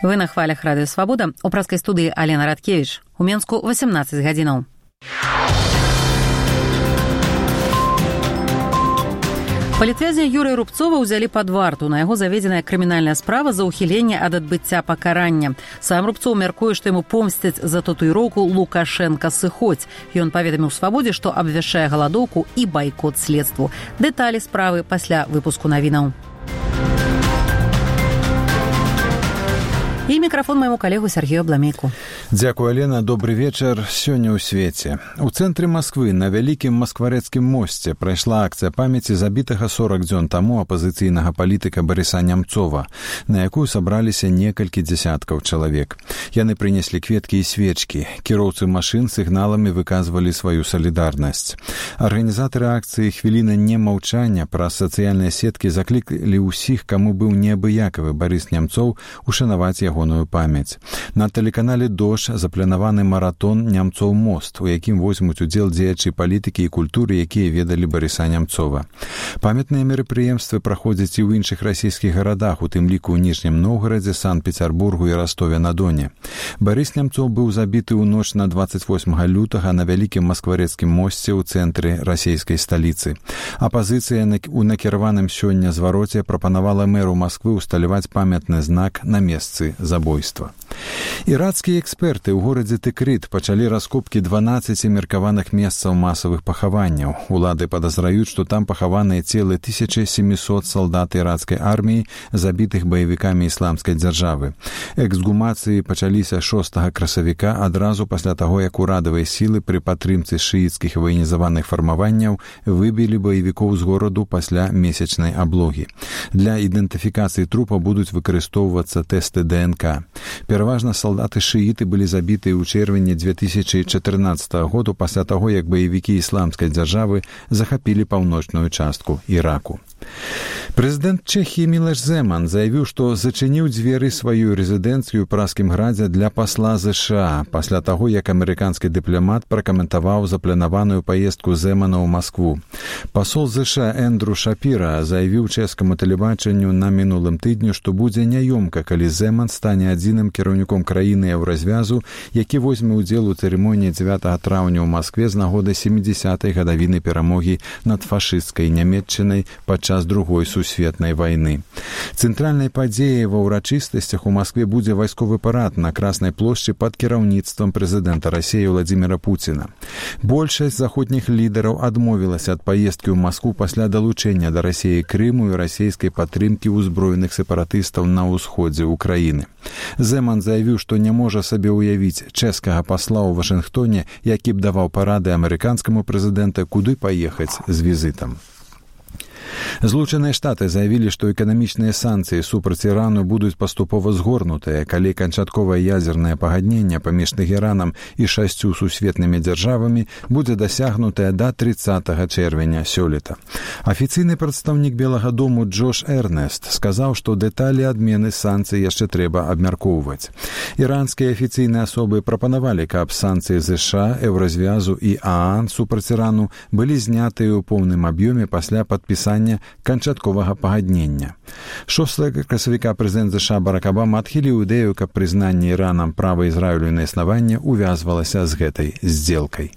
Вы на хвалях Радыё Свабода. У праскай студыі Алена Радкевіч. У Менску 18 гадзінаў. Палітвязня Юрыя Рубцова ўзялі пад варту. На яго заведзеная крымінальная справа за ўхіленне ад адбыцця пакарання. Сам Рубцоў мяркуе, што яму помсцяць за татуіроўку «Лукашенка сыходзь». Ён паведаміў Свабодзе, што абвяшчае галадоўку і байкот следству. Дэталі справы пасля выпуску навінаў. І мікрафон майму калегу Сергею Абламейку. Дзякуй, Алена. Добры вечар. Сёння ў свеце. У цэнтры Масквы на вялікім маскварэцкім мосце прайшла акцыя памяці забітага 40 дзён таму апазіцыйнага палітыка Барыса Нямцова, на якую сабраліся некалькі дзясяткаў чалавек. Яны прынеслі кветкі і свечкі. Кіроўцы машын сігналамі выказвалі сваю салідарнасць. Арганізатары акцыі «Хвіліна немаўчання» праз сацыяльныя сеткі заклікалі ўсіх, каму быў неабыякавы Барыс Нямцоў, ушанаваць ягоную памяць. На тэлеканале «Дождь» запланаваны маратон «Нямцоў мост», у якім возьмуць удзел дзеячы палітыкі і культуры, якія ведалі Барыса Нямцова. Памятныя мерапрыемствы праходзяць і ў іншых расійскіх гарадах, у тым ліку ў Ніжнім Новгарадзе, Санкт-Пецярбургу і Растове-на-Доне. Барыс Нямцоў быў забіты ў ноч на 28 лютага на вялікім маскварэцкім мосце ў цэнтры расійскай сталіцы. Апазіцыя у накіраваным сёння звароце прапанавала мэру Масквы усталяваць памятны знак на месцы забойства. Ірацкія эксперты ў горадзе Тыкрыт пачалі раскопкі 12 меркаваных месцаў масавых пахаванняў. Улады падазраюць, што там пахаваныя целы 1700 салдат ірацкай арміі, забітых баевікамі ісламскай дзяржавы. Эксгумацыі пачаліся 6 красавіка адразу пасля таго, як урадавыя сілы пры падтрымцы шыіцкіх ваенізаваных фармаванняў выбілі баевікоў з гораду пасля месячнай аблогі. Для ідэнтыфікацыі трупа будуць выкарыстоўвацца тэсты ДНК. Пераважна салдаты шыіты былі забітыя ў чэрвені 2014 году пасля таго, як баевікі ісламскай дзяржавы захапілі паўночную частку Іраку. Прэзідэнт Чэхіі Мілош Земан заявіў, што зачыніў дзверы сваю рэзідэнцыю ў Пражскім градзе для пасла ЗША пасля таго, як амерыканскі дыпламат пракаментаваў запланаваную паездку Земана ў Маскву. Пасол ЗША Эндрю Шапіра заявіў чэшскаму тэлебачанню на мінулым тыдню, што будзе няёмка, калі Земан стане адзіным кіраўніком краіны еўразвязу, які возьме ўдзел у цырымоніі 9 траўня ў Маскве з нагоды 70-й гадавіны перамогі над фашысцкай Нямецчынай падчас Другой сусветнай вайны. Цэнтральнай падзеяй ва ўрачыстасцях у Маскве будзе вайсковы парад на Краснай плошчы пад кіраўніцтвам прэзідэнта Расіі Владзіміра Пуціна. Большасць заходніх лідараў адмовілася ад паездкі ў Маскву пасля далучэння да Расіі Крыму і расійскай падтрымкі ўзброеных сепаратыстаў на ўсходзе ўкраіны. Земан заявіў, што не можа сабе ўявіць чэшскага пасла ў Вашынгтоне, які б даваў парады амерыканскаму прэзідэнта, куды паехаць з візітам. Злучаныя Штаты заявілі, што эканамічныя санкцыі супраць Ірану будуць паступова згорнутыя, калі канчатковае ядзернае пагадненне паміж Тэхеранам і 6 сусветнымі дзяржавамі будзе дасягнутае да 30 чэрвеня сёлета. Афіцыйны прадстаўнік Белага дому Джош Эрнест сказаў, што дэталі адмены санкцый яшчэ трэба абмяркоўваць. Іранскія афіцыйныя асобы прапанавалі, каб санкцыі ЗША, Еўразвязу і ААН супраць Ірану былі знятыя ў поўным аб'ёме пасля падпісання канчатковага пагаднення. 6 красавіка прэзідэнт ЗША Барак Абама адхіліў ідэю, каб прызнанне Іранам права Ізраілю на існаванне увязвалася з гэтай здзелкай.